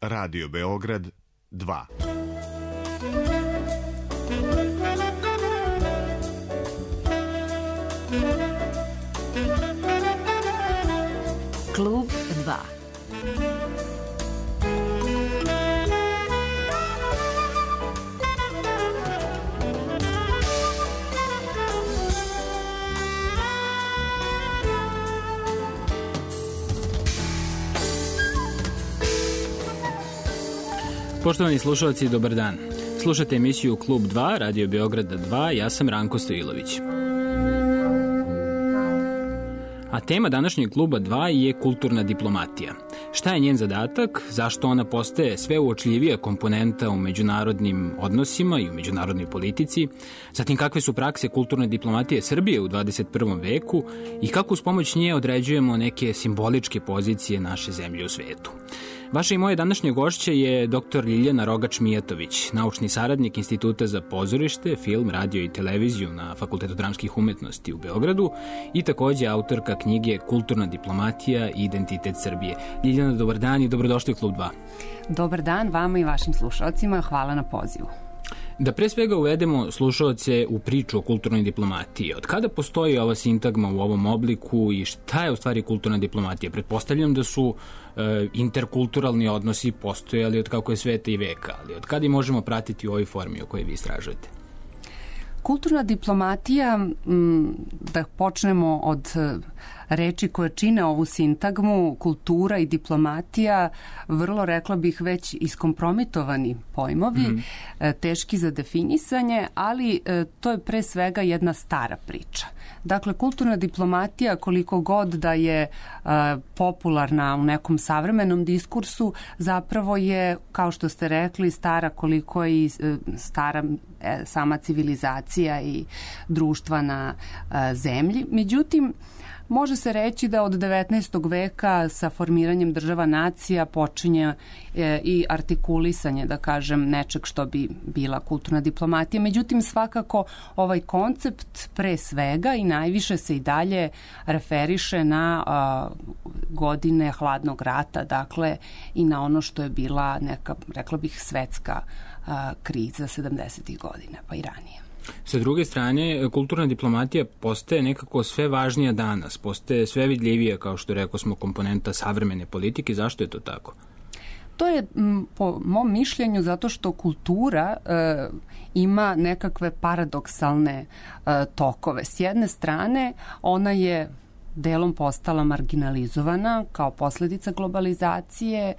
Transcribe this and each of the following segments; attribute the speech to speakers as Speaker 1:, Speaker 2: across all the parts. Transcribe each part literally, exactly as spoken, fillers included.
Speaker 1: Radio Beograd dva.
Speaker 2: Klub dva.
Speaker 3: Poštovani slušalci, dobar dan. Slušate emisiju Klub dva, Radio Beograda dva, ja sam Ranko Stojilović. A tema današnjeg Kluba dva je kulturna diplomatija. Šta je njen zadatak, zašto ona postaje sve uočljivija komponenta u međunarodnim odnosima i u međunarodnoj politici, zatim kakve su prakse kulturne diplomatije Srbije u dvadeset prvom veku i kako uz pomoć nje određujemo neke simboličke pozicije naše zemlje u svetu. Vaše i moje današnje gošće je doktor Ljiljana Rogač-Mijatović, naučni saradnik Instituta za pozorište, film, radio i televiziju na Fakultetu dramskih umetnosti u Beogradu i takođe autorka knjige Kulturna diplomatija i identitet Srbije. Ljiljana, dobar dan i dobrodošli u Klub dva.
Speaker 4: Dobar dan vama i vašim slušalcima, hvala na pozivu.
Speaker 3: Da pre svega uvedemo slušalce u priču o kulturnoj diplomatiji. Od kada postoji ova sintagma u ovom obliku i šta je u stvari kulturna diplomatija? Pretpostavljam da su e, interkulturalni odnosi postojali od kako je sveta i veka, ali od kada i možemo pratiti u ovoj formi o kojoj vi istražujete?
Speaker 4: Kulturna diplomatija, da počnemo od reči koje čine ovu sintagmu, kultura i diplomatija, vrlo, rekla bih, već iskompromitovani pojmovi, mm. teški za definisanje, ali to je pre svega jedna stara priča. Dakle, kulturna diplomatija, koliko god da je popularna u nekom savremenom diskursu, zapravo je, kao što ste rekli, stara koliko je i stara sama civilizacija i društva na zemlji. Međutim, može se reći da od devetnaestog veka sa formiranjem država nacija počinje e, i artikulisanje, da kažem, nečeg što bi bila kulturna diplomatija. Međutim, svakako ovaj koncept pre svega i najviše se i dalje referiše na a, godine hladnog rata, dakle i na ono što je bila neka, rekla bih, svetska a, kriza sedamdesetih godina, pa i ranije.
Speaker 3: Sa druge strane, kulturna diplomatija postaje nekako sve važnija danas, postaje sve vidljivija, kao što rekao smo, komponenta savremene politike. Zašto je to tako?
Speaker 4: To je, po mom mišljenju, zato što kultura e, ima nekakve paradoksalne e, tokove. S jedne strane, ona je delom postala marginalizovana kao posledica globalizacije,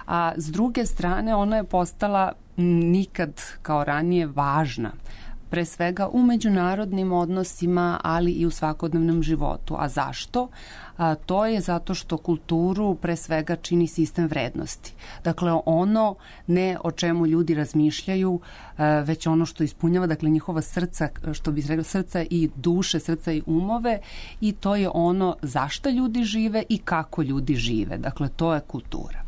Speaker 4: a s druge strane ona je postala nikad kao ranije važna, pre svega u međunarodnim odnosima, ali i u svakodnevnom životu. A zašto? A, to je zato što kulturu pre svega čini sistem vrednosti. Dakle, ono ne o čemu ljudi razmišljaju, a, već ono što ispunjava, dakle, njihova srca, što bi se rekao, srca i duše, srca i umove, i to je ono zašto ljudi žive i kako ljudi žive. Dakle, to je kultura.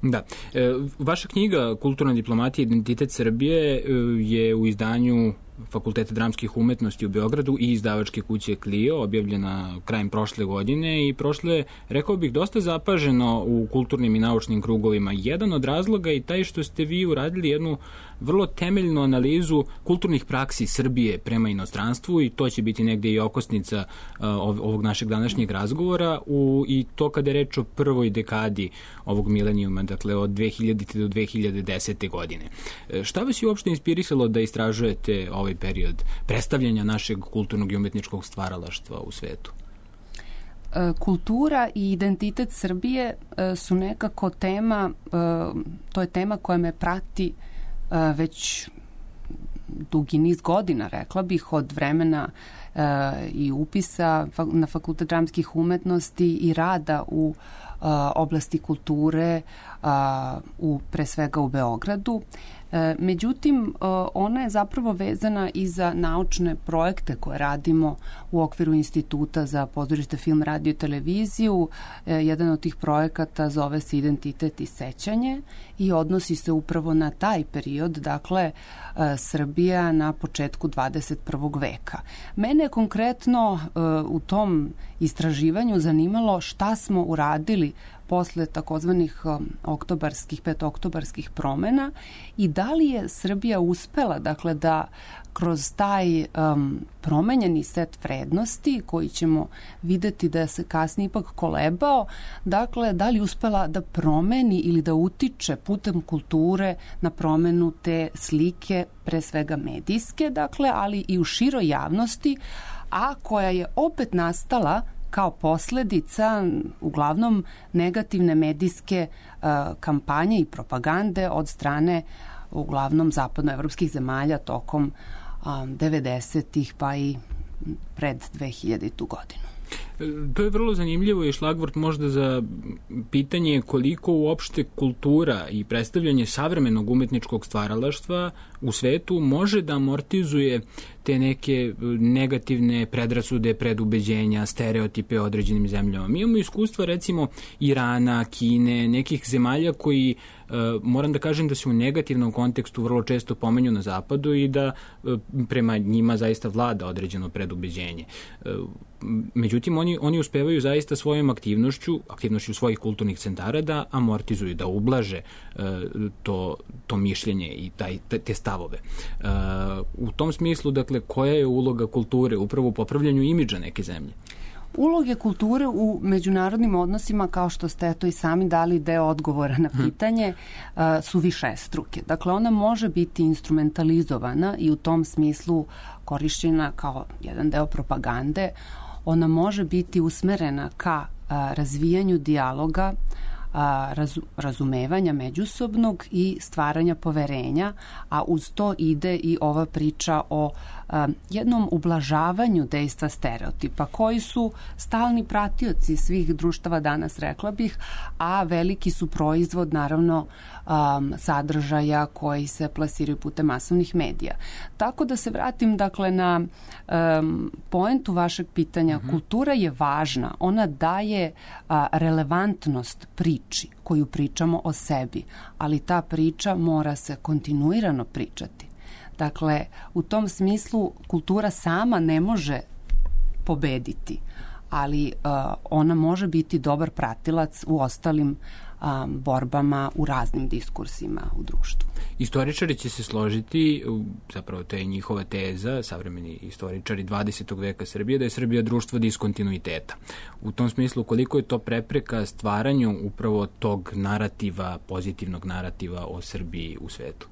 Speaker 3: Da. E, vaša knjiga Kulturna diplomatija i identitet Srbije e, je u izdanju Fakulteta dramskih umetnosti u Beogradu i izdavačke kuće Clio, objavljena krajem prošle godine i prošle, rekao bih, dosta zapaženo u kulturnim i naučnim krugovima. Jedan od razloga je taj što ste vi uradili jednu vrlo temeljnu analizu kulturnih praksi Srbije prema inostranstvu i to će biti negde i okosnica uh, ovog našeg današnjeg razgovora u, i to kada je reč o prvoj dekadi ovog milenijuma, dakle od dve hiljadite do dve hiljade desete godine. Šta vas je uopšte inspirisalo da istražujete ovaj period predstavljanja našeg kulturnog i umetničkog stvaralaštva u svetu?
Speaker 4: Kultura i identitet Srbije su nekako tema, to je tema koja me prati već dugi niz godina, rekla bih, od vremena i upisa na Fakultet dramskih umetnosti i rada u oblasti kulture, u, pre svega u Beogradu. Međutim, ona je zapravo vezana i za naučne projekte koje radimo u okviru Instituta za pozorište, film, radio i televiziju. Jedan od tih projekata zove se Identitet i sećanje i odnosi se upravo na taj period, dakle Srbija na početku dvadeset prvog veka. Mene konkretno u tom istraživanju zanimalo šta smo uradili posle takozvanih oktobarskih, petoktobarskih promena i da li je Srbija uspela, dakle, da kroz taj um, promenjeni set vrednosti koji ćemo videti da se kasnije ipak kolebao, dakle, da li uspela da promeni ili da utiče putem kulture na promenu te slike, pre svega medijske, dakle, ali i u široj javnosti, a koja je opet nastala kao posledica uglavnom negativne medijske uh, kampanje i propagande od strane uglavnom zapadnoevropskih zemalja tokom um, devedesetih pa i pred dvehiljaditu godinu.
Speaker 3: To je vrlo zanimljivo i šlagvort možda za pitanje koliko uopšte kultura i predstavljanje savremenog umetničkog stvaralaštva u svetu može da amortizuje te neke negativne predrasude, predubeđenja, stereotipe o određenim zemljama. Mi imamo iskustva recimo Irana, Kine, nekih zemalja koji moram da kažem da se u negativnom kontekstu vrlo često pomenju na zapadu i da prema njima zaista vlada određeno predubeđenje. Međutim, oni, oni uspevaju zaista svojom aktivnošću, aktivnošću svojih kulturnih centara da amortizuju, da ublaže to, to mišljenje i taj, te stavove. U tom smislu, dakle, koja je uloga kulture upravo u popravljanju imidža neke zemlje?
Speaker 4: Uloge kulture u međunarodnim odnosima, kao što ste to i sami dali deo odgovora na pitanje, hmm. su višestruke. Dakle, ona može biti instrumentalizovana i u tom smislu korišćena kao jedan deo propagande. Ona može biti usmerena ka razvijanju dijaloga, razumevanja međusobnog i stvaranja poverenja, a uz to ide i ova priča o jednom ublažavanju dejstva stereotipa koji su stalni pratioci svih društava danas, rekla bih, a veliki su proizvod naravno um, sadržaja koji se plasiraju putem masovnih medija. Tako da se vratim dakle na um, poentu vašeg pitanja. Mm-hmm. Kultura je važna, ona daje a, relevantnost priči koju pričamo o sebi, ali ta priča mora se kontinuirano pričati. Dakle, u tom smislu kultura sama ne može pobediti, ali uh, ona može biti dobar pratilac u ostalim um, borbama, u raznim diskursima u društvu.
Speaker 3: Istoričari će se složiti, zapravo to je njihova teza, savremeni istoričari dvadesetog veka Srbije, da je Srbija društvo diskontinuiteta. U tom smislu, koliko je to prepreka stvaranju upravo tog narativa, pozitivnog narativa o Srbiji u svetu?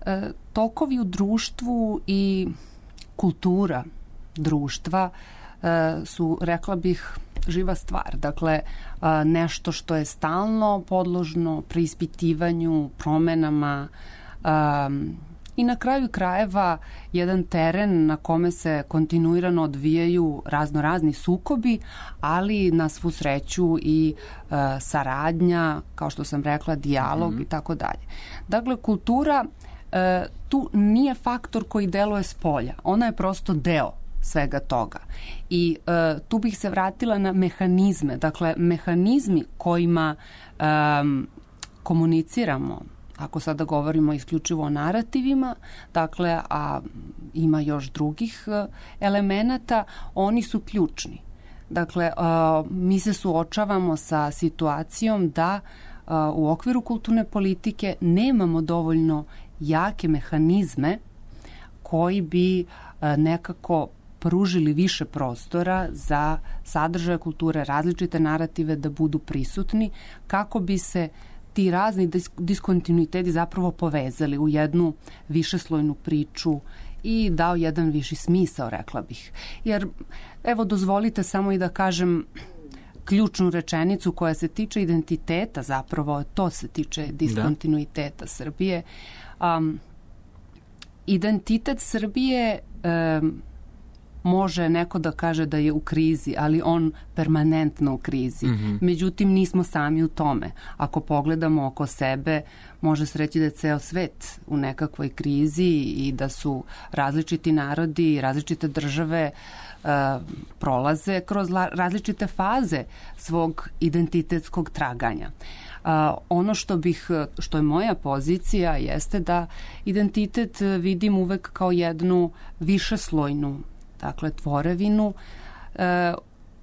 Speaker 4: E, tokovi u društvu i kultura društva e, su, rekla bih, živa stvar. Dakle, e, nešto što je stalno podložno preispitivanju, promenama e, i na kraju krajeva jedan teren na kome se kontinuirano odvijaju razno razni sukobi, ali na svu sreću i e, saradnja, kao što sam rekla, dijalog mm-hmm. i tako dalje. Dakle, kultura E, tu nije faktor koji deluje s polja. Ona je prosto deo svega toga. I e, tu bih se vratila na mehanizme. Dakle, mehanizmi kojima e, komuniciramo, ako sada govorimo isključivo o narativima, dakle, a ima još drugih e, elemenata, oni su ključni. Dakle, e, mi se suočavamo sa situacijom da e, u okviru kulturne politike nemamo dovoljno jake mehanizme koji bi nekako pružili više prostora za sadržaje kulture, različite narative da budu prisutni, kako bi se ti razni diskontinuiteti zapravo povezali u jednu višeslojnu priču i dao jedan viši smisao, rekla bih. Jer, evo, dozvolite samo i da kažem ključnu rečenicu koja se tiče identiteta, zapravo to se tiče diskontinuiteta da. Srbije. Um, identitet Srbije um, može neko da kaže da je u krizi, ali on permanentno u krizi. Mm-hmm. Međutim, nismo sami u tome. Ako pogledamo oko sebe, može se reći da je ceo svet u nekakvoj krizi i da su različiti narodi i različite države uh, prolaze kroz la, različite faze svog identitetskog traganja. Uh, ono što bih, što je moja pozicija jeste da identitet vidim uvek kao jednu višeslojnu, dakle, tvorevinu uh,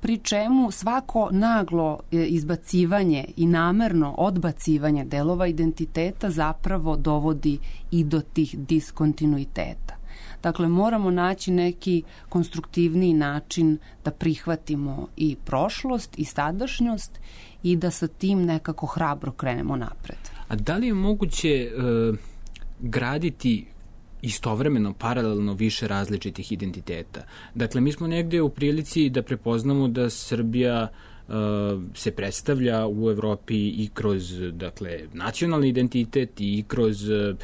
Speaker 4: pri čemu svako naglo izbacivanje i namerno odbacivanje delova identiteta zapravo dovodi i do tih diskontinuiteta. Dakle, moramo naći neki konstruktivniji način da prihvatimo i prošlost i sadašnjost i da sa tim nekako hrabro krenemo napred.
Speaker 3: A da li je moguće e, graditi istovremeno, paralelno više različitih identiteta? Dakle, mi smo negde u prilici da prepoznamo da Srbija uh, se predstavlja u Evropi i kroz, dakle, nacionalni identitet i kroz uh,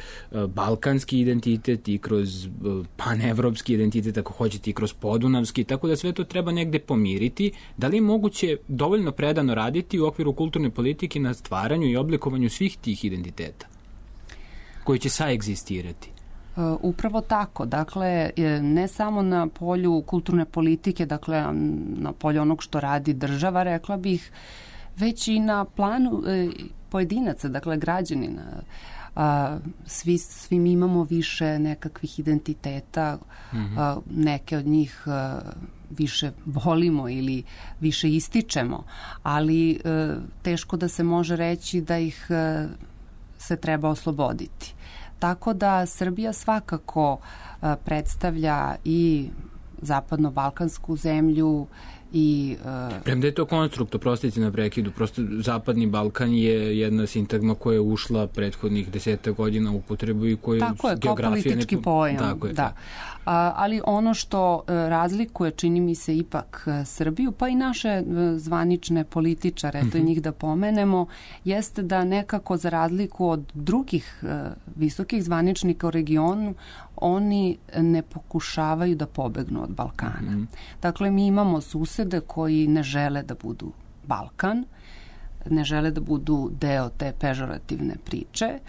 Speaker 3: balkanski identitet i kroz uh, panevropski identitet, ako hoćete, i kroz podunavski, tako da sve to treba negde pomiriti. Da li je moguće dovoljno predano raditi u okviru kulturne politike na stvaranju i oblikovanju svih tih identiteta koji će saegzistirati?
Speaker 4: Upravo tako. Dakle, ne samo na polju kulturne politike, dakle, na polju onog što radi država, rekla bih, već i na planu pojedinaca, dakle, građanina. Svi, svi mi imamo više nekakvih identiteta, mm-hmm. neke od njih više volimo ili više ističemo, ali teško da se može reći da ih se treba osloboditi. Tako da Srbija svakako uh, predstavlja i zapadno-balkansku zemlju i... Uh,
Speaker 3: Premda je to konstrukt, oprostite na prekidu, prosto Zapadni Balkan je jedna sintagma koja je ušla prethodnih deseta godina u upotrebu i koju
Speaker 4: tako je, kao politički ne... pojam. Tako je, da. A, ali ono što uh, razlikuje, čini mi se, ipak uh, Srbiju, pa i naše uh, zvanične političare, mm-hmm. to je njih da pomenemo, jeste da nekako za razliku od drugih uh, visokih zvaničnika u regionu, oni ne pokušavaju da pobegnu od Balkana. Mm-hmm. Dakle, mi imamo susede koji ne žele da budu Balkan, ne žele da budu deo te pežorativne priče,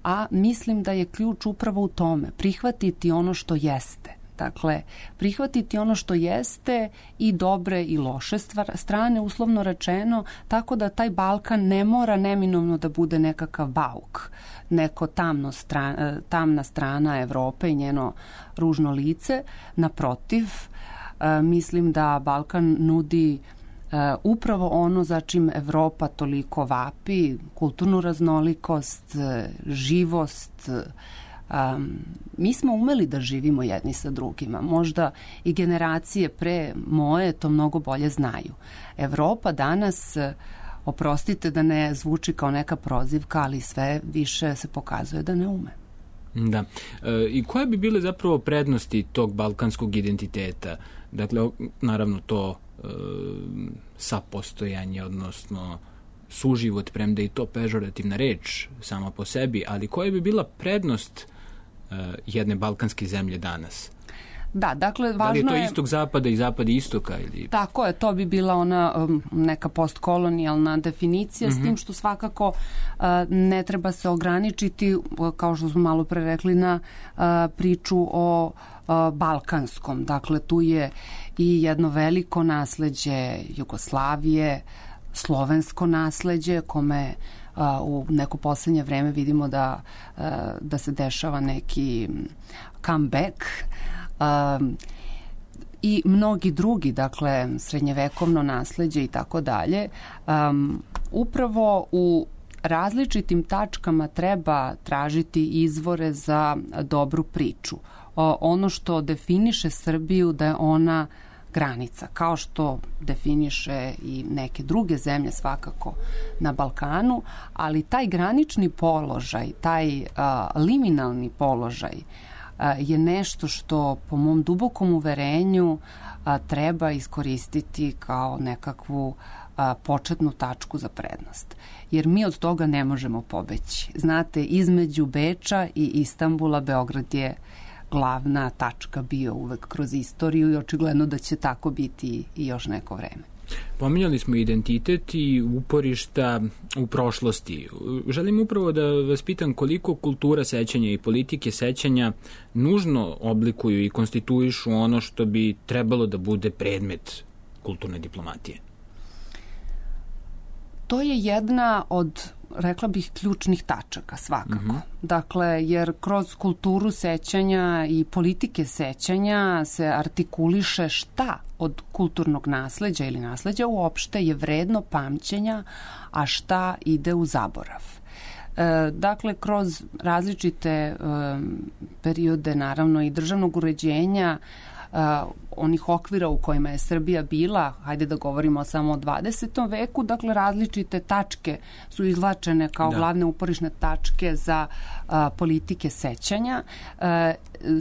Speaker 4: a mislim da je ključ upravo u tome, prihvatiti ono što jeste. Dakle, prihvatiti ono što jeste i dobre i loše strane, uslovno rečeno, tako da taj Balkan ne mora neminovno da bude nekakav bauk, neko tamno strana, tamna strana Evrope i njeno ružno lice. Naprotiv, mislim da Balkan nudi upravo ono za čim Evropa toliko vapi, kulturnu raznolikost, živost. Um, mi smo umeli da živimo jedni sa drugima. Možda i generacije pre moje to mnogo bolje znaju. Evropa danas, oprostite da ne zvuči kao neka prozivka, ali sve više se pokazuje da ne ume.
Speaker 3: Da. E, I koje bi bile zapravo prednosti tog balkanskog identiteta? Dakle, naravno to e, sapostojanje, odnosno suživot, premda i to pežorativna reč sama po sebi, ali koja bi bila prednost uh, jedne balkanske zemlje danas?
Speaker 4: Da, dakle, važno je...
Speaker 3: Da li je to istog zapada i zapad istoka? Ili...
Speaker 4: Tako je, to bi bila ona um, neka postkolonijalna definicija, mm-hmm. s tim što svakako uh, ne treba se ograničiti, kao što smo malo pre rekli, na uh, priču o uh, balkanskom. Dakle, tu je i jedno veliko nasleđe Jugoslavije, slovensko nasleđe, kome uh, u neko poslednje vreme vidimo da, uh, da se dešava neki comeback. Uh, i mnogi drugi, dakle, srednjevekovno nasleđe i tako dalje. Um, upravo u različitim tačkama treba tražiti izvore za dobru priču. Uh, ono što definiše Srbiju da je ona granica, kao što definiše i neke druge zemlje svakako na Balkanu, ali taj granični položaj, taj a, liminalni položaj a, je nešto što po mom dubokom uverenju a, treba iskoristiti kao nekakvu a, početnu tačku za prednost. Jer mi od toga ne možemo pobeći. Znate, između Beča i Istanbula Beograd je glavna tačka bio uvek kroz istoriju i očigledno da će tako biti i još neko vreme.
Speaker 3: Pominjali smo identitet i uporišta u prošlosti. Želim upravo da vas pitam koliko kultura sećanja i politike sećanja nužno oblikuju i konstituišu ono što bi trebalo da bude predmet kulturne diplomatije.
Speaker 4: To je jedna od rekla bih, ključnih tačaka svakako.
Speaker 3: Mm-hmm.
Speaker 4: Dakle, jer kroz kulturu sećanja i politike sećanja se artikuliše šta od kulturnog nasleđa ili nasleđa uopšte je vredno pamćenja, a šta ide u zaborav. E, dakle, kroz različite e, periode, naravno, i državnog uređenja, Uh, onih okvira u kojima je Srbija bila, hajde da govorimo samo o dvadesetom veku, dakle različite tačke su izvlačene kao da. glavne uporišne tačke za uh, politike sećanja. Uh,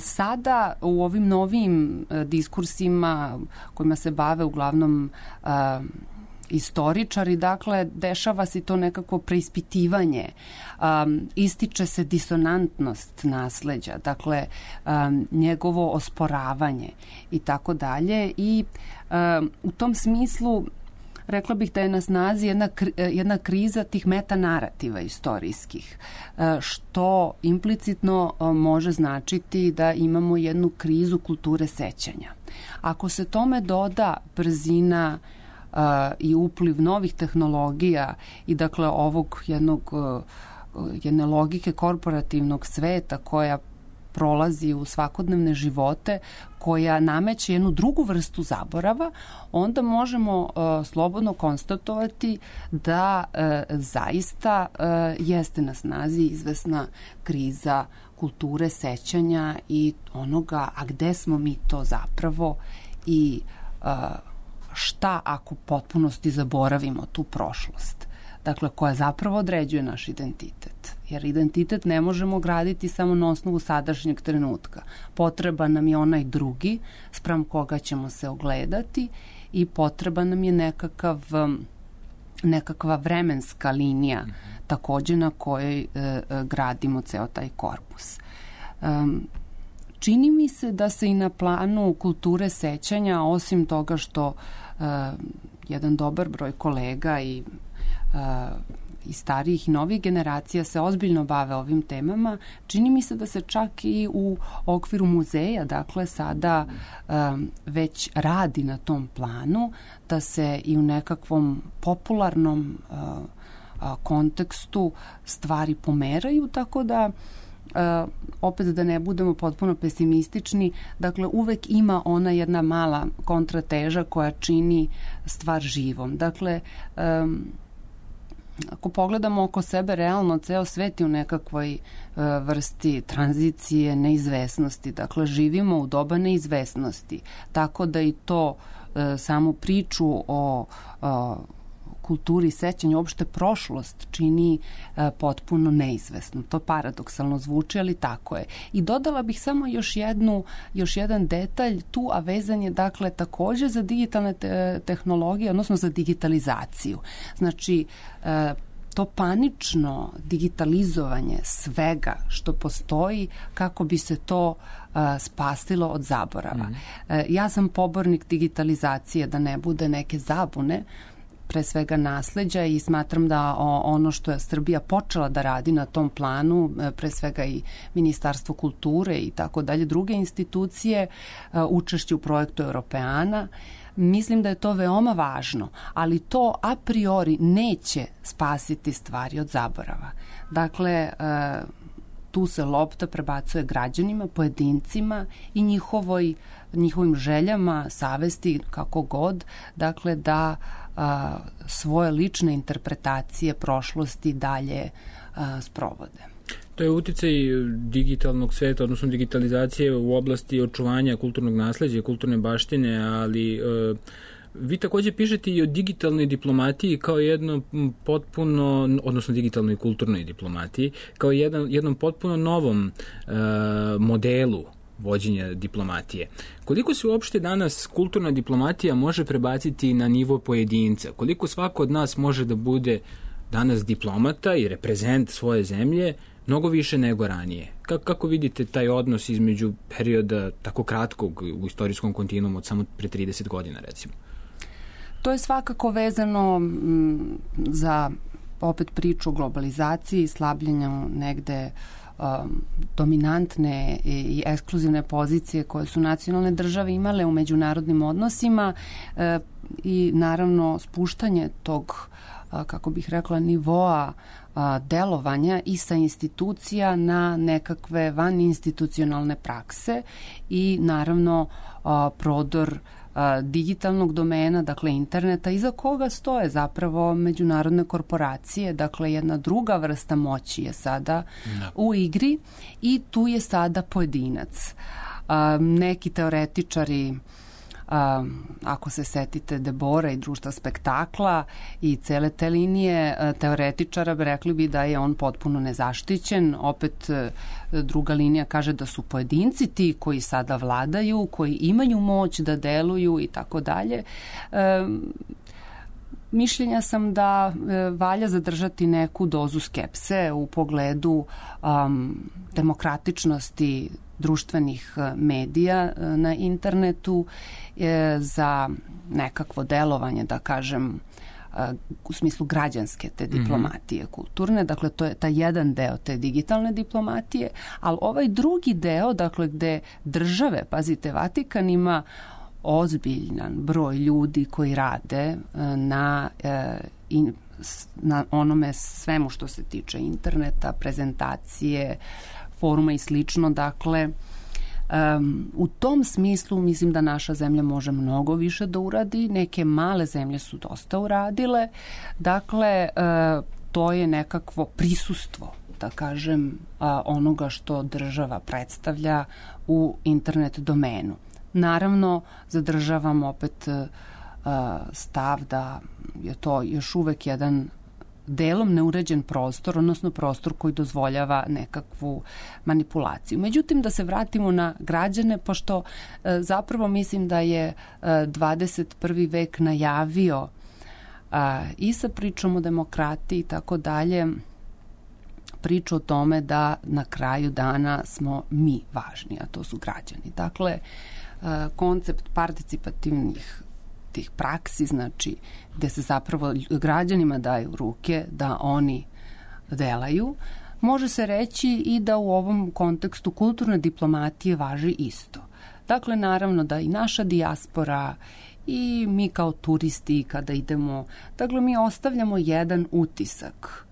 Speaker 4: sada u ovim novim uh, diskursima kojima se bave uglavnom uh, istoričari, dakle, dešava se to nekako preispitivanje, um, ističe se disonantnost nasleđa, dakle, um, njegovo osporavanje i tako dalje i um, u tom smislu rekla bih da je na snazi jedna, jedna kriza tih metanarativa istorijskih, što implicitno može značiti da imamo jednu krizu kulture sećanja. Ako se tome doda brzina Uh, i upliv novih tehnologija i dakle ovog jednog uh, jedne logike korporativnog sveta koja prolazi u svakodnevne živote, koja nameće jednu drugu vrstu zaborava, onda možemo uh, slobodno konstatovati da uh, zaista uh, jeste na snazi izvesna kriza kulture sećanja i onoga, a gde smo mi to zapravo i uh, šta ako u potpunosti zaboravimo tu prošlost, dakle, koja zapravo određuje naš identitet. Jer identitet ne možemo graditi samo na osnovu sadašnjeg trenutka. Potreban nam je onaj drugi, spram koga ćemo se ogledati i potreban nam je nekakav, nekakva vremenska linija, mm-hmm. takođe na kojoj e, e, gradimo ceo taj korpus. Um, Čini mi se da se i na planu kulture sećanja, osim toga što uh, jedan dobar broj kolega i, uh, i starijih i novih generacija se ozbiljno bave ovim temama, čini mi se da se čak i u okviru muzeja, dakle, sada um, već radi na tom planu, da se i u nekakvom popularnom uh, uh, kontekstu stvari pomeraju, tako da Uh, opet da ne budemo potpuno pesimistični, dakle uvek ima ona jedna mala kontrateža koja čini stvar živom. Dakle, um, ako pogledamo oko sebe, realno ceo svet je u nekakvoj uh, vrsti tranzicije, neizvesnosti. Dakle, živimo u doba neizvesnosti. Tako da i to uh, samu priču o uh, kulturi sećanja, uopšte prošlost čini e, potpuno neizvesno. To paradoksalno zvuči, ali tako je. I dodala bih samo još jednu, još jedan detalj tu, a vezan je dakle takođe za digitalne te, tehnologije, odnosno za digitalizaciju. Znači, e, to panično digitalizovanje svega što postoji kako bi se to uh, spasilo od zaborava. Mm. Uh, ja sam pobornik digitalizacije, da ne bude neke zabune, pre svega nasleđa, i smatram da ono što je Srbija počela da radi na tom planu, pre svega i Ministarstvo kulture i tako dalje, druge institucije, učešće u projektu Europeana, mislim da je to veoma važno, ali to a priori neće spasiti stvari od zaborava. Dakle, tu se lopta prebacuje građanima, pojedincima i njihovoj, njihovim željama, savesti, kako god, dakle da a, svoje lične interpretacije prošlosti dalje a, sprovode.
Speaker 3: To je uticaj digitalnog sveta, odnosno digitalizacije u oblasti očuvanja kulturnog nasleđa i kulturne baštine, ali e, vi takođe pišete i o digitalnoj diplomatiji kao jednom potpuno, odnosno digitalnoj i kulturnoj diplomatiji, kao jedan, jednom potpuno novom e, modelu vođenja diplomatije. Koliko se uopšte danas kulturna diplomatija može prebaciti na nivo pojedinca? Koliko svako od nas može da bude danas diplomata i reprezent svoje zemlje mnogo više nego ranije? Kako, kako vidite taj odnos između perioda tako kratkog u istorijskom kontinuumu od samo pre trideset godina, recimo?
Speaker 4: To je svakako vezano m, za opet priču o globalizaciji i slabljenju negde um, dominantne i ekskluzivne pozicije koje su nacionalne države imale u međunarodnim odnosima e, i naravno spuštanje tog, a, kako bih rekla, nivoa delovanja i sa institucija na nekakve vaninstitucionalne prakse i naravno prodor digitalnog domena, dakle interneta, iza koga stoje zapravo međunarodne korporacije, dakle jedna druga vrsta moći je sada no. u igri i tu je sada pojedinac. Neki teoretičari, Uh, ako se setite Debora i društva spektakla i cele te linije uh, teoretičara, bi rekli bi da je on potpuno nezaštićen. Opet uh, druga linija kaže da su pojedinci ti koji sada vladaju, koji imaju moć da deluju i tako dalje. Mišljenja sam da uh, valja zadržati neku dozu skepse u pogledu um, demokratičnosti društvenih medija na internetu za nekakvo delovanje, da kažem, u smislu građanske te diplomatije mm-hmm. kulturne. Dakle, to je taj jedan deo te digitalne diplomatije, ali ovaj drugi deo, dakle, gde države, pazite, Vatikan ima ozbiljan broj ljudi koji rade na, na onome svemu što se tiče interneta, prezentacije, foruma i slično. Dakle, um, u tom smislu mislim da naša zemlja može mnogo više da uradi. Neke male zemlje su dosta uradile. Dakle, uh, to je nekakvo prisustvo, da kažem, uh, onoga što država predstavlja u internet domenu. Naravno, zadržavam opet uh, stav da je to još uvek jedan delom neuređen prostor, odnosno prostor koji dozvoljava nekakvu manipulaciju. Međutim, da se vratimo na građane, pošto e, zapravo mislim da je e, dvadeset prvi vek najavio a, i sa pričom o demokratiji i tako dalje, priču o tome da na kraju dana smo mi važni, a to su građani. Dakle, e, koncept participativnih tih praksi, znači gde se zapravo građanima daju ruke da oni delaju, može se reći i da u ovom kontekstu kulturne diplomatije važi isto. Dakle, naravno da i naša dijaspora i mi kao turisti kada idemo, dakle mi ostavljamo jedan utisak.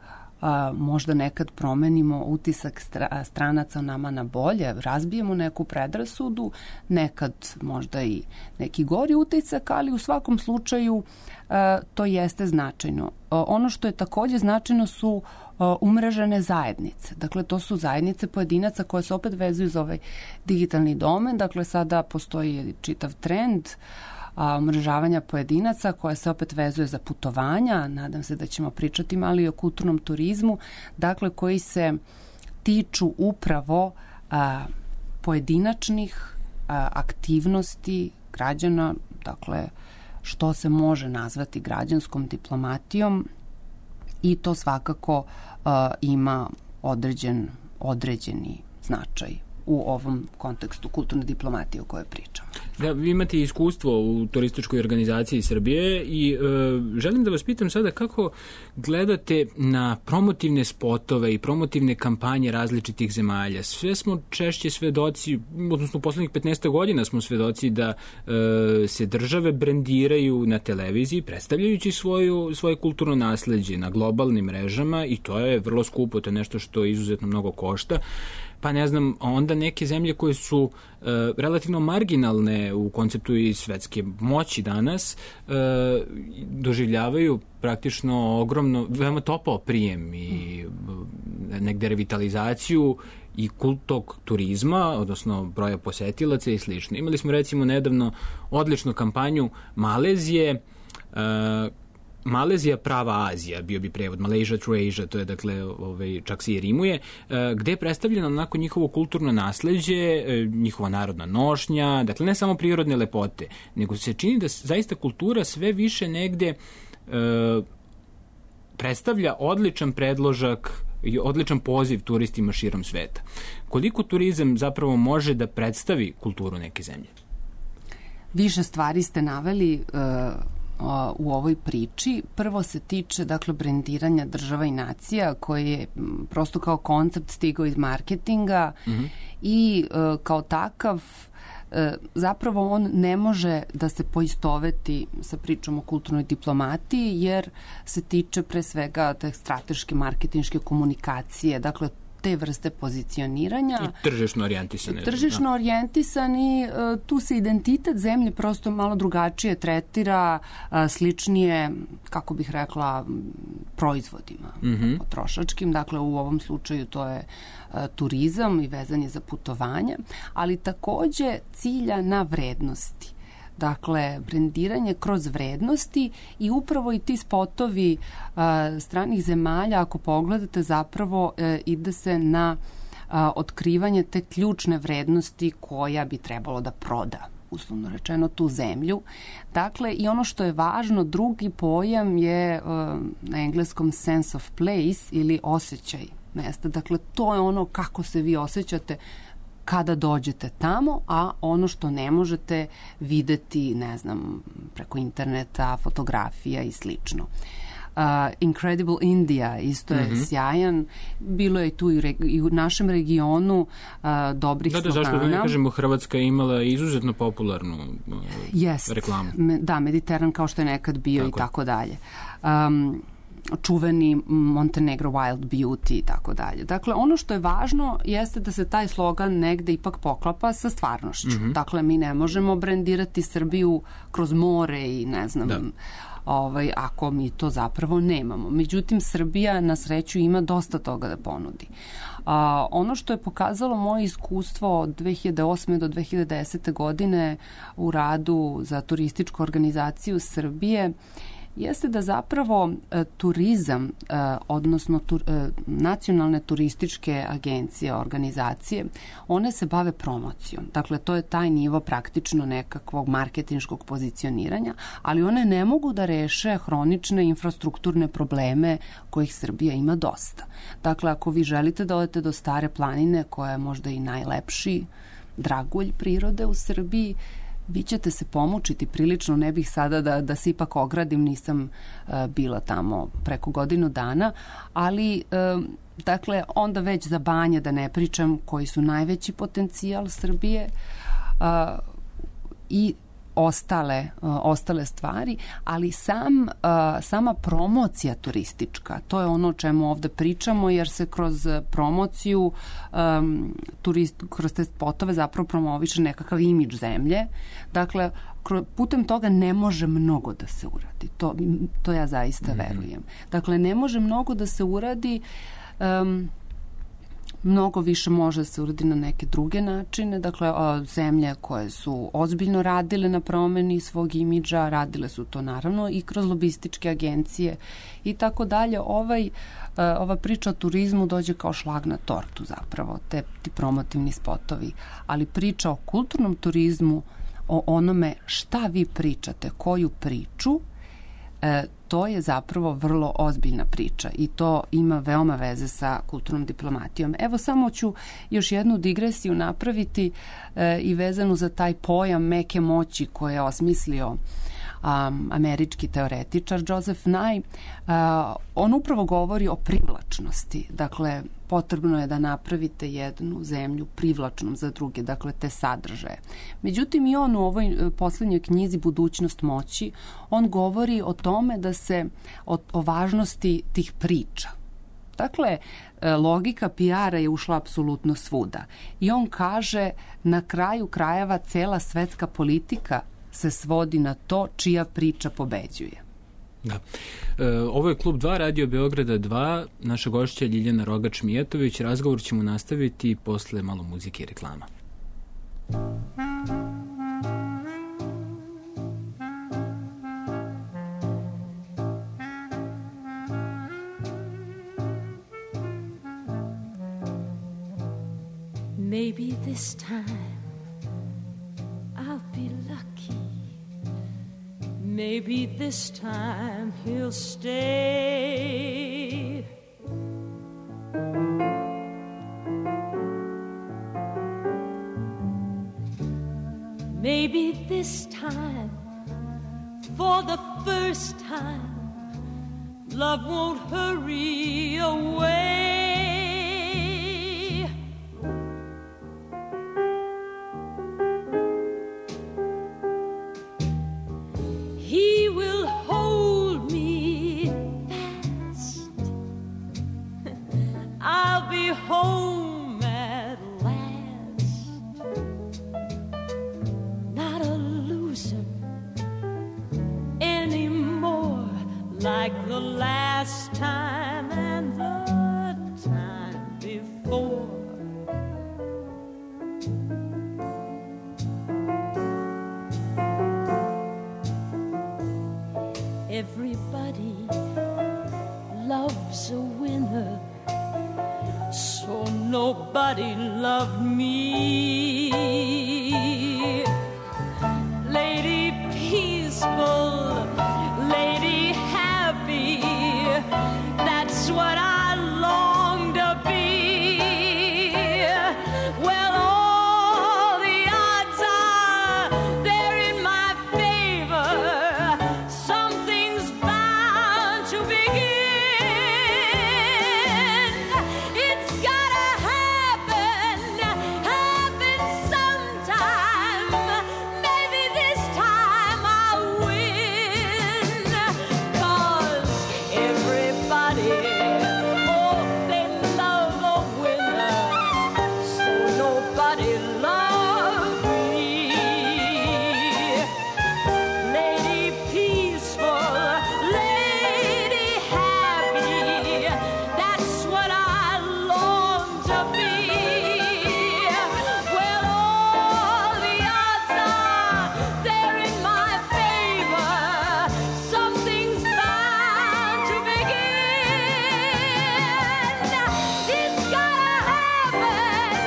Speaker 4: A, možda nekad promenimo utisak stra, stranaca nama na bolje, razbijemo neku predrasudu, nekad možda i neki gori utisak, ali u svakom slučaju a, to jeste značajno. A, ono što je takođe značajno su a, umrežene zajednice. Dakle, to su zajednice pojedinaca koje se opet vezuju za ovaj digitalni domen. Dakle, sada postoji čitav trend a, umrežavanja pojedinaca koja se opet vezuje za putovanja, nadam se da ćemo pričati malo i o kulturnom turizmu, dakle koji se tiču upravo a, pojedinačnih a, aktivnosti građana, dakle što se može nazvati građanskom diplomatijom i to svakako a, ima određen, određeni značaj u ovom kontekstu kulturne diplomatije o kojoj pričam.
Speaker 3: Da, vi imate iskustvo u turističkoj organizaciji Srbije i e, želim da vas pitam sada kako gledate na promotivne spotove i promotivne kampanje različitih zemalja. Sve smo češće svedoci, odnosno u poslednjih petnaest godina smo svedoci da e, se države brendiraju na televiziji, predstavljajući svoju, svoje kulturno nasleđe na globalnim mrežama i to je vrlo skupo, to je nešto što izuzetno mnogo košta. Pa ne znam, onda neke zemlje koje su e, relativno marginalne u konceptu i svetske moći danas e, doživljavaju praktično ogromno, veoma topao prijem i negde revitalizaciju i kultog turizma, odnosno broja posetilaca i slično. Imali smo recimo nedavno odličnu kampanju Malezije, e, Malezija prava Azija, bio bi prevod, Malaysia to Asia, to je dakle, ovaj, čak se i rimuje, gde je predstavljeno onako njihovo kulturno nasleđe, njihova narodna nošnja, dakle ne samo prirodne lepote, nego se čini da zaista kultura sve više negde e, predstavlja odličan predložak i odličan poziv turistima širom sveta. Koliko turizam zapravo može da predstavi kulturu neke zemlje?
Speaker 4: Više stvari ste naveli uh... u ovoj priči. Prvo se tiče, dakle, brendiranja država i nacija koji je prosto kao koncept stigao iz marketinga mm-hmm. i e, kao takav zapravo on ne može da se poistoveti sa pričom o kulturnoj diplomatiji, jer se tiče pre svega te strateške marketinške komunikacije, dakle te vrste pozicioniranja.
Speaker 3: I tržišno orijentisane.
Speaker 4: Tržišno da. orijentisani, tu se identitet zemlje prosto malo drugačije tretira, sličnije, kako bih rekla, proizvodima mm-hmm. potrošačkim. Dakle, u ovom slučaju to je turizam i vezanje za putovanja, ali takođe cilja na vrednosti. Dakle, brendiranje kroz vrednosti i upravo i ti spotovi a, stranih zemalja, ako pogledate, zapravo e, ide se na a, otkrivanje te ključne vrednosti koja bi trebalo da proda, uslovno rečeno, tu zemlju. Dakle, i ono što je važno, drugi pojam je a, na engleskom sense of place ili osjećaj mesta. Dakle, to je ono kako se vi osjećate kada dođete tamo, a ono što ne možete videti, ne znam, preko interneta, fotografija i slično. Uh, Incredible India isto je mm-hmm. sjajan. Bilo je tu i, reg- i u našem regionu uh, dobrih
Speaker 3: da, da,
Speaker 4: slogana.
Speaker 3: Zašto da ne kažemo, Hrvatska je imala izuzetno popularnu uh,
Speaker 4: Jest.
Speaker 3: reklamu.
Speaker 4: Me, da, Mediteran kao što je nekad bio tako i tako dalje. Um, čuveni Montenegro Wild Beauty i tako dalje. Dakle, ono što je važno jeste da se taj slogan negde ipak poklapa sa stvarnošću. Mm-hmm. Dakle, mi ne možemo brendirati Srbiju kroz more i ne znam, da. ovaj, ako mi to zapravo nemamo. Međutim, Srbija na sreću ima dosta toga da ponudi. A, ono što je pokazalo moje iskustvo od dve hiljade osme do dve hiljade desete godine u radu za turističku organizaciju Srbije jeste da zapravo e, turizam, e, odnosno tur, e, nacionalne turističke agencije, organizacije, one se bave promocijom. Dakle, to je taj nivo praktično nekakvog marketinškog pozicioniranja, ali one ne mogu da reše hronične infrastrukturne probleme kojih Srbija ima dosta. Dakle, ako vi želite da odete do Stare planine, koja je možda i najlepši dragulj prirode u Srbiji, vi ćete se pomučiti prilično, ne bih sada da, da se ipak ogradim, nisam uh, bila tamo preko godinu dana, ali uh, dakle, onda već za Banje da ne pričam, koji su najveći potencijal Srbije uh, i ostale, uh, ostale stvari, ali sam, uh, sama promocija turistička, to je ono o čemu ovde pričamo, jer se kroz promociju um, turist, kroz te spotove zapravo promoviše nekakav imidž zemlje. Dakle, putem toga ne može mnogo da se uradi. To, to ja zaista mm-hmm. verujem. Dakle, ne može mnogo da se uradi, um, mnogo više može da se uradi na neke druge načine. Dakle, zemlje koje su ozbiljno radile na promeni svog imidža, radile su to naravno i kroz lobističke agencije i tako dalje. Ovaj, ova priča o turizmu dođe kao šlag na tortu zapravo, te, ti promotivni spotovi. Ali priča o kulturnom turizmu, o onome šta vi pričate, koju priču, e, to je zapravo vrlo ozbiljna priča i to ima veoma veze sa kulturnom diplomatijom. Evo, samo ću još jednu digresiju napraviti e, i vezanu za taj pojam meke moći koje je osmislio um, američki teoretičar Joseph Nye. Uh, on upravo govori o privlačnosti. Dakle, potrebno je da napravite jednu zemlju privlačnom za druge, dakle te sadržaje. Međutim, i on u ovoj poslednjoj knjizi Budućnost moći, on govori o tome da se o, o važnosti tih priča. Dakle, logika P R-a je ušla apsolutno svuda. I on kaže, na kraju krajeva cela svetska politika se svodi na to čija priča pobeđuje.
Speaker 3: Da. E, ovo je Klub dva, Radio Beograda dva, naša gošća Ljiljana Rogač-Mijatović. Razgovor ćemo nastaviti posle malo muzike i reklama.
Speaker 2: Maybe this time I'll be lucky. Maybe this time he'll stay. Maybe this time, for the first time, love won't hurry away. home at last. Not a loser anymore, like the last time and the time before. Everybody loves a winner, so nobody loved me. Lady peaceful, lady happy, that's what I long to be. Well, all the odds are they're in my favor. Something's bound to begin. It's gotta happen, happen sometime. Maybe this time I'll win. 'Cause everybody, oh, they love a winner, so nobody loved me. Lady peaceful, lady happy, that's what I long to be. Well, all the odds are they're in my favor. Something's bound to begin. It's gotta happen,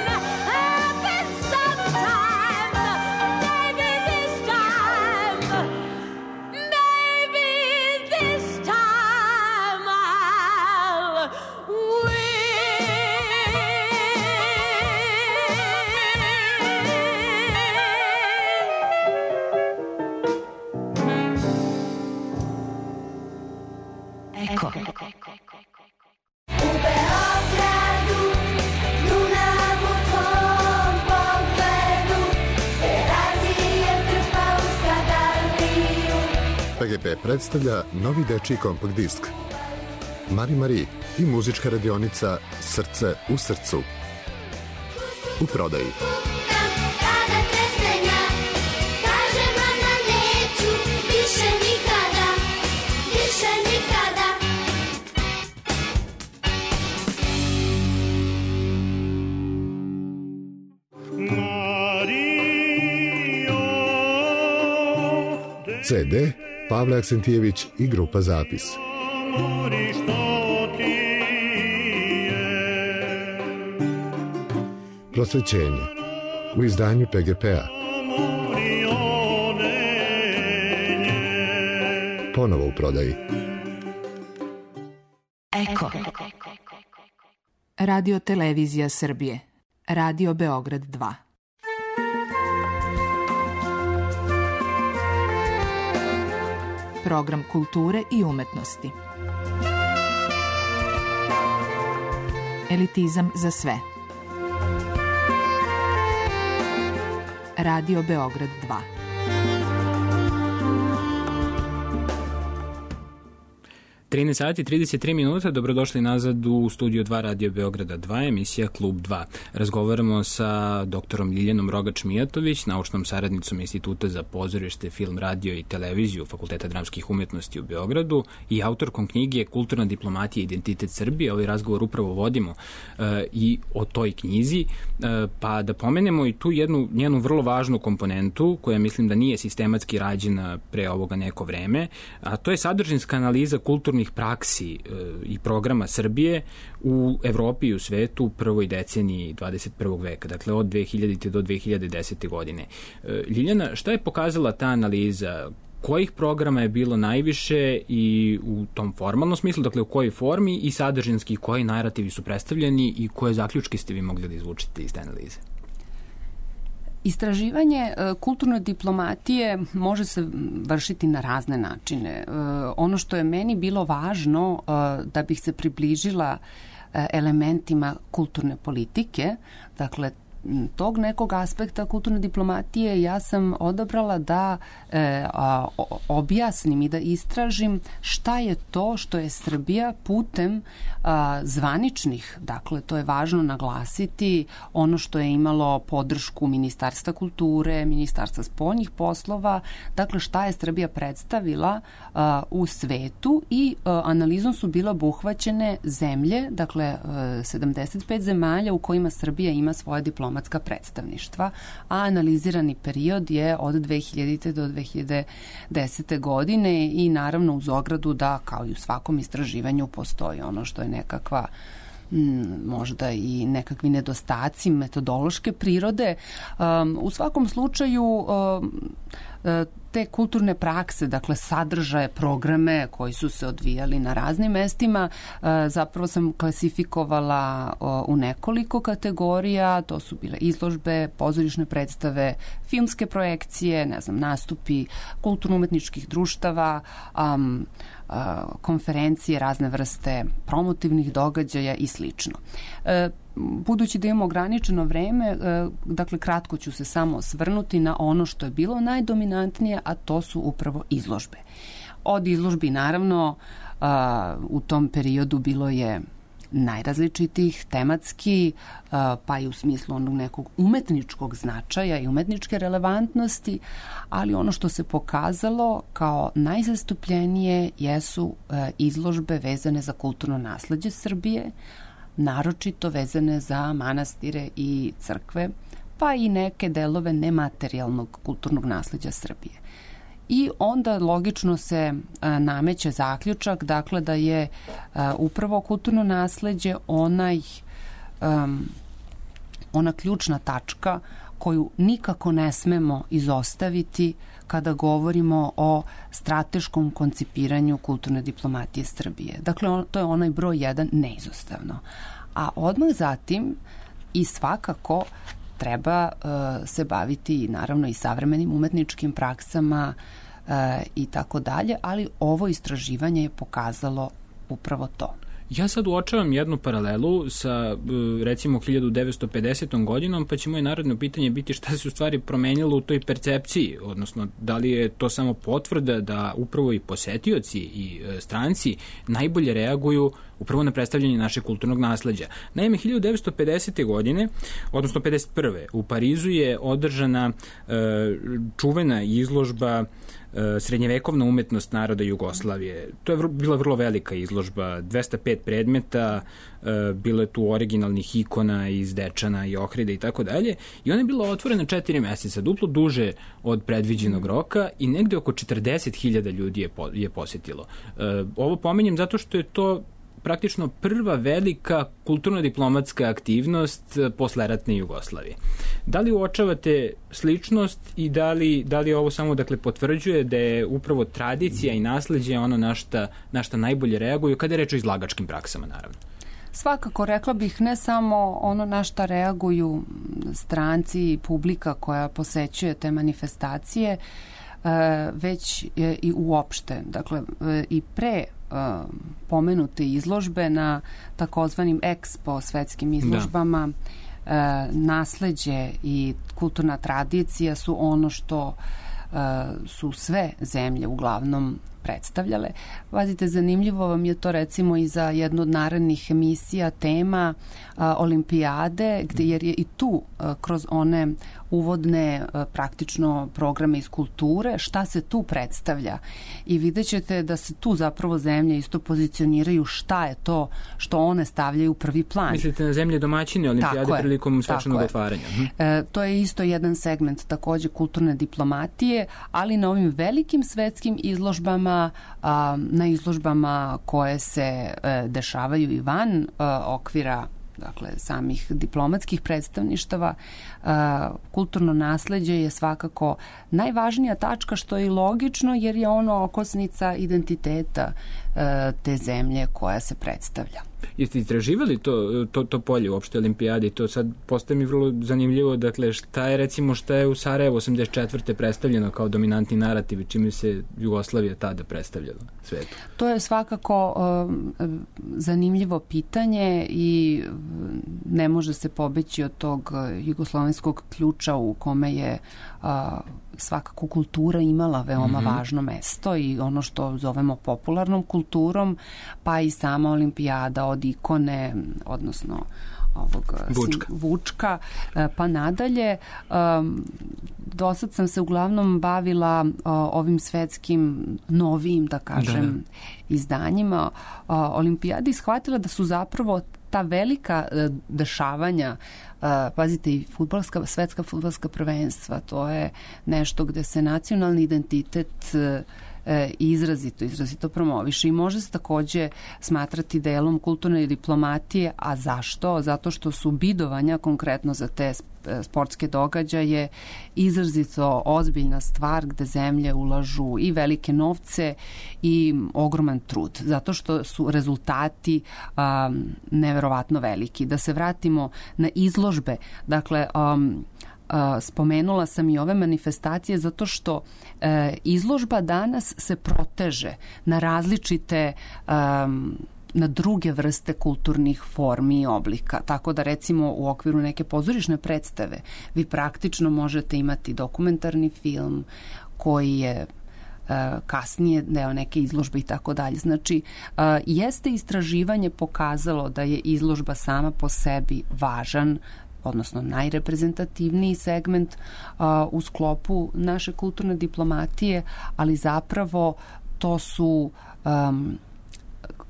Speaker 2: happen sometime. Maybe this time, maybe this time I'll win.
Speaker 5: Eko.
Speaker 6: U Beogradu, Dunav u tvom pogledu, Terazije trpa u Skadarliju.
Speaker 7: P G P predstavlja novi dečiji kompakt disk Mari Mari i muzička radionica Srce u srcu. U prodaji.
Speaker 6: Kada tresnenja, kaže mama neću, više nikada, više nikada.
Speaker 7: C D Pavle Aksentijević i grupa Zapis. Prosvećenje u izdanju P G P-a. Ponovo u prodaji.
Speaker 5: Eko. Radio Televizija Srbije. Radio Beograd dva. Program kulture i umetnosti. Elitizam za sve. Radio Beograd dva.
Speaker 3: trinaest sati i trideset tri minuta, dobrodošli nazad u studio dva Radio Beograda dva, emisija Klub dva. Razgovaramo sa doktorom Ljiljanom Rogač-Mijatović, naučnom saradnicom Instituta za pozorište, film, radio i televiziju Fakulteta dramskih umetnosti u Beogradu i autorkom knjige Kulturna diplomatija i identitet Srbije. Ovaj razgovor upravo vodimo uh, i o toj knjizi, uh, pa da pomenemo i tu jednu njenu vrlo važnu komponentu koja mislim da nije sistematski rađena pre ovoga neko vreme, a to je sadržinska analiza kulturnih praksi e, i programa Srbije u Evropi i u svetu u prvoj deceniji dvadeset prvog veka, dakle od dve hiljadite do dve hiljade desete godine. E, Ljiljana, šta je pokazala ta analiza? Kojih programa je bilo najviše i u tom formalnom smislu, dakle u kojoj formi i sadržinski koji narativi su predstavljeni i koje zaključke ste vi mogli da izvučite iz te analize?
Speaker 4: Istraživanje kulturne diplomatije može se vršiti na razne načine. Ono što je meni bilo važno da bih se približila elementima kulturne politike, dakle tog nekog aspekta kulturne diplomatije ja sam odabrala da e, a, o, objasnim i da istražim šta je to što je Srbija putem a, zvaničnih, dakle to je važno naglasiti, ono što je imalo podršku Ministarstva kulture, Ministarstva spoljnih poslova, dakle šta je Srbija predstavila a, u svetu i a, analizom su bila obuhvaćene zemlje, dakle a, sedamdeset pet zemalja u kojima Srbija ima svoje diplomatska predstavništva, a analizirani period je od dve hiljadite do dve hiljade desete godine i naravno uz ogradu da kao i u svakom istraživanju postoji ono što je nekakva možda i nekakvi nedostaci metodološke prirode. Um, u svakom slučaju um, te kulturne prakse, dakle sadržaje, programe koji su se odvijali na raznim mestima, zapravo sam klasifikovala u nekoliko kategorija, to su bile izložbe, pozorišne predstave, filmske projekcije, ne znam, nastupi kulturno-umetničkih društava, um, konferencije, razne vrste promotivnih događaja i slično. Budući da imamo ograničeno vreme, dakle kratko ću se samo osvrnuti na ono što je bilo najdominantnije, a to su upravo izložbe. Od izložbi naravno u tom periodu bilo je najrazličitih, tematski, pa i u smislu onog nekog umetničkog značaja i umetničke relevantnosti, ali ono što se pokazalo kao najzastupljenije jesu izložbe vezane za kulturno nasleđe Srbije, naročito vezane za manastire i crkve, pa i neke delove nematerijalnog kulturnog nasleđa Srbije. I onda logično se a, nameće zaključak, dakle da je a, upravo kulturno nasleđe onaj, um, ona ključna tačka koju nikako ne smemo izostaviti kada govorimo o strateškom koncipiranju kulturne diplomatije Srbije. Dakle, on, to je onaj broj jedan neizostavno. A odmah zatim i svakako treba uh, se baviti naravno i savremenim umetničkim praksama uh, i tako dalje, ali ovo istraživanje je pokazalo upravo to.
Speaker 3: Ja sad uočavam jednu paralelu sa, recimo, hiljadu devetsto pedesetom godinom, pa će moje narodno pitanje biti šta se u stvari promenilo u toj percepciji, odnosno da li je to samo potvrda da upravo i posetioci i stranci najbolje reaguju upravo na predstavljanje našeg kulturnog nasleđa. Naime, hiljadu devetsto pedesete godine, odnosno pedeset prve u Parizu je održana e, čuvena izložba e, srednjevekovna umetnost naroda Jugoslavije. To je vr bila vrlo velika izložba, dvesta pet predmeta, e, bilo je tu originalnih ikona iz Dečana i Ohrida i tako dalje. I ona je bila otvorena četiri meseca, duplo duže od predviđenog roka i negde oko četrdeset hiljada ljudi je, po, je posetilo. E, ovo pominjem zato što je to praktično prva velika kulturno-diplomatska aktivnost posleratne Jugoslavije. Da li uočavate sličnost i da li, da li ovo samo dakle potvrđuje da je upravo tradicija i nasleđe ono na šta, na šta najbolje reaguju kada je reč o izlagačkim praksama, naravno?
Speaker 4: Svakako, rekla bih, ne samo ono na šta reaguju stranci i publika koja posećuje te manifestacije, već i uopšte. Dakle, i pre pomenute izložbe na takozvanim Expo svetskim izložbama, da. Nasleđe i kulturna tradicija su ono što su sve zemlje uglavnom predstavljale. Pazite, zanimljivo vam je to recimo i za jednu od narednih emisija tema a, olimpijade, gde, jer je i tu a, kroz one uvodne a, praktično programe iz kulture, šta se tu predstavlja. I vidjet ćete da se tu zapravo zemlje isto pozicioniraju šta je to što one stavljaju u prvi plan.
Speaker 3: Mislite na zemlje domaćine olimpijade prilikom svečanog otvaranja?
Speaker 4: E, to je isto jedan segment takođe kulturne diplomatije, ali na ovim velikim svetskim izložbama, a, na izložbama koje se e, dešavaju i van a, okvira dakle samih diplomatskih predstavništava, a, kulturno nasleđe je svakako najvažnija tačka, što je i logično jer je ono okosnica identiteta a, te zemlje koja se predstavlja.
Speaker 3: Jeste istraživali to, to, to polje uopšte olimpijade i to sad postaje mi vrlo zanimljivo, dakle šta je recimo šta je u Sarajevu osamdeset četvrte predstavljeno kao dominantni narativ i čime se Jugoslavija tada predstavljala svetu?
Speaker 4: To je svakako um, zanimljivo pitanje i ne može se pobeći od tog jugoslovenskog ključa u kome je a, svakako kultura imala veoma mm-hmm. važno mesto i ono što zovemo popularnom kulturom, pa i sama olimpijada od ikone, odnosno ovog
Speaker 3: Vučka.
Speaker 4: Sim, Vučka, pa nadalje. Um, do sad sam se uglavnom bavila uh, ovim svetskim novijim, da kažem, da, da. izdanjima. Uh, Olimpijadi shvatila da su zapravo ta velika uh, dešavanja, uh, pazite, i fudbalska, svetska fudbalska prvenstva, to je nešto gde se nacionalni identitet uh, izrazito, izrazito promoviše i može se takođe smatrati delom kulturne diplomatije. A zašto? Zato što su bidovanja konkretno za te sportske događaje izrazito ozbiljna stvar gde zemlje ulažu i velike novce i ogroman trud, zato što su rezultati um, neverovatno veliki. Da se vratimo na izložbe, dakle um, Uh, spomenula sam i ove manifestacije zato što uh, izložba danas se proteže na različite um, na druge vrste kulturnih formi i oblika. Tako da recimo u okviru neke pozorišne predstave vi praktično možete imati dokumentarni film koji je uh, kasnije deo neke izložbe i tako dalje. Znači, uh, jeste istraživanje pokazalo da je izložba sama po sebi važan, odnosno najreprezentativniji segment a, u sklopu naše kulturne diplomatije, ali zapravo to su um,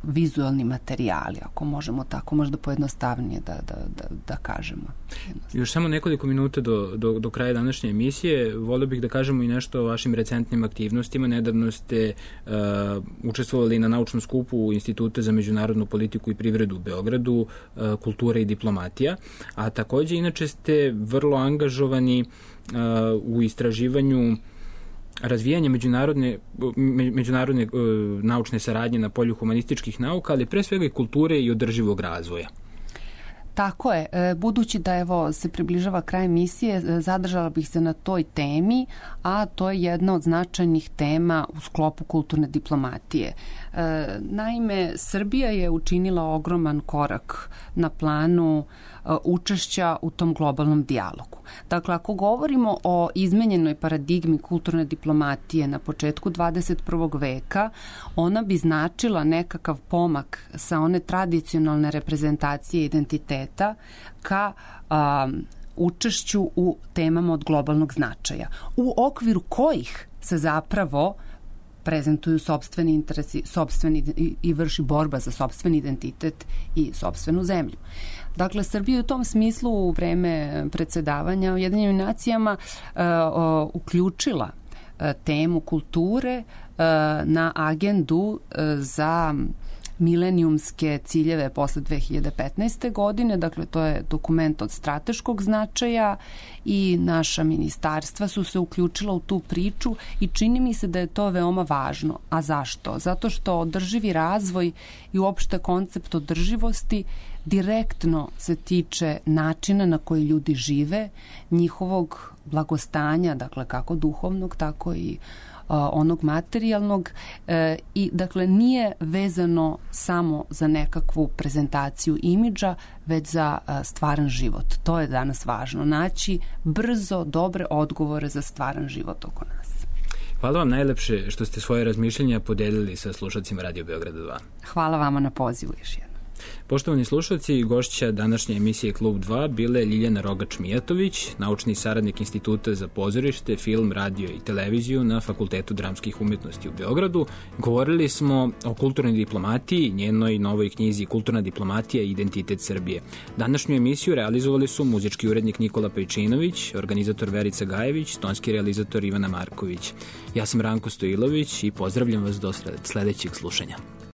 Speaker 4: vizualni materijali, ako možemo tako možda pojednostavnije da, da, da, da kažemo.
Speaker 3: Još samo nekoliko minuta do, do, do kraja današnje emisije. Volio bih da kažemo i nešto o vašim recentnim aktivnostima. Nedavno ste uh, učestvovali na naučnom skupu Instituta za međunarodnu politiku i privredu u Beogradu, uh, kultura i diplomatija, a takođe inače ste vrlo angažovani uh, u istraživanju razvijanje međunarodne, međunarodne uh, naučne saradnje na polju humanističkih nauka, ali pre svega i kulture i održivog razvoja.
Speaker 4: Tako je. Budući da evo se približava kraj emisije, zadržala bih se na toj temi, a to je jedna od značajnih tema u sklopu kulturne diplomatije. Naime, Srbija je učinila ogroman korak na planu učešća u tom globalnom dijalogu. Dakle, ako govorimo o izmenjenoj paradigmi kulturne diplomatije na početku dvadeset prvog veka, ona bi značila nekakav pomak sa one tradicionalne reprezentacije identiteta ka a, učešću u temama od globalnog značaja, u okviru kojih se zapravo prezentuju sopstveni interesi, sopstveni i, i vrši borba za sopstveni identitet i sopstvenu zemlju. Dakle, Srbija u tom smislu u vreme predsedavanja Ujedinjenim nacijama uh, uh, uključila uh, temu kulture uh, na agendu uh, za milenijumske ciljeve posle dve hiljade petnaeste. godine, dakle to je dokument od strateškog značaja i naša ministarstva su se uključila u tu priču i čini mi se da je to veoma važno. A zašto? Zato što održivi razvoj i uopšte koncept održivosti direktno se tiče načina na koji ljudi žive, njihovog blagostanja, dakle kako duhovnog, tako i onog materijalnog e, i dakle nije vezano samo za nekakvu prezentaciju imidža, već za a, stvaran život. To je danas važno, naći brzo dobre odgovore za stvaran život oko nas.
Speaker 3: Hvala vam najlepše što ste svoje razmišljenja podelili sa slušalcima Radio Beograda dva.
Speaker 4: Hvala vama na pozivu još jednom.
Speaker 3: Poštovani slušalci, gošća današnje emisije Klub dva bile Ljiljana Rogač-Mijatović, naučni saradnik Instituta za pozorište, film, radio i televiziju na Fakultetu dramskih umetnosti u Beogradu. Govorili smo o kulturnoj diplomatiji, njenoj novoj knjizi Kulturna diplomatija i identitet Srbije. Današnju emisiju realizovali su muzički urednik Nikola Pejčinović, organizator Verica Gajević, tonski realizator Ivana Marković. Ja sam Ranko Stojilović i pozdravljam vas do sledećeg slušanja.